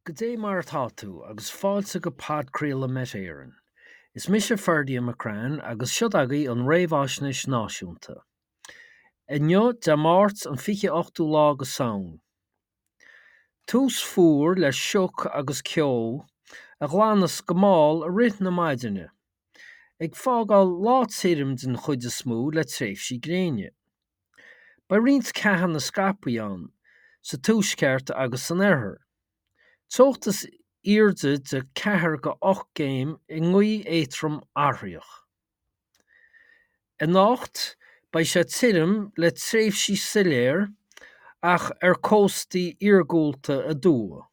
Goidé mar atá tú agus fáilte go podchraoladh Met Éireann. Is mise Ferdia McCrann agus siod agaibh an Réamhaisnéis Náisiúnta. Inniu, Dé Máirt an 28ú lá go Samhain. Tús fuar le sioc agus ceo a ghlanfas go mall i rith na maidine, ag fágáil lá tirim den chuid is mó le tréimhsí gréine. Beidh roinnt ceathanna scaipthe ann sa tuaisceart agus san oirthear. Teocht is airde de 4-8 gcéim i ngaoth éadrom athraitheach. Anocht beidh sé tirim le tréimhsí soiléir ach ar cóstaí iargúlta aduaidh.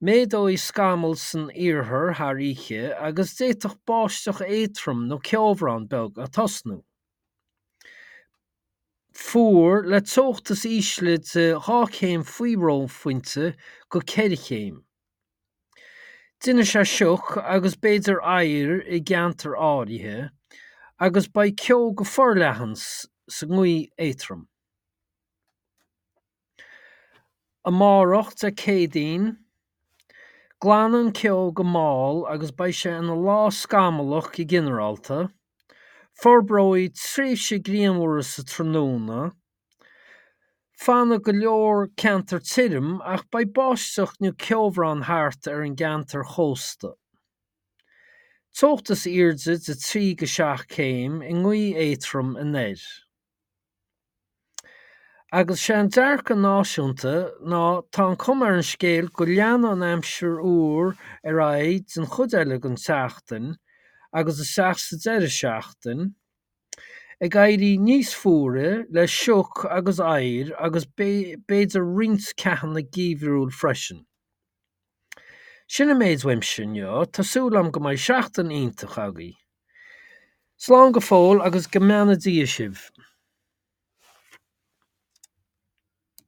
Méadóidh scamaill san iarthar thar oíche agus d'fhéadfadh báisteach éadrom nó ceobhrán beag atosnú. Fuar, le teocht is ísle de 2 chéim faoi reophointe go 4 chéim. Déanfaidh sé sioc agus b'fhéidir oighear i gceantair áirithe agus beidh ceo go forleathan sa ngaoth éadrom. Amárach, Dé Céadaoin, glanfaidh an ceo go mall agus beidh sé ina lá scamallach go ginearálta. Forbróidh tréimhse grianmhar sa tráthnóna. Fanfaidh go leor ceantar tirim ach beidh báisteach nó ceobhrán thart ar an gceantar chósta. Teocht is airde de 3-7 céim i ngaoth éadrom anoir. Agus sé an dearcadh náisiúnta ná tá an cuma ar an scéal go leanfaidh an aimsir fhuar ar aghaidh den chuid eile den tseachtain agus isteach sa deireadh seachtain, ag éirí níos fuaire le sioc agus oighear agus b'fhéidir roinnt ceathanna geimhriúil freisin. Sin an méid uaimse inniu, tá súil agam go mbeidh seachtain iontach agaibh. Slán go fóill agus go mbeanna Dia sibh.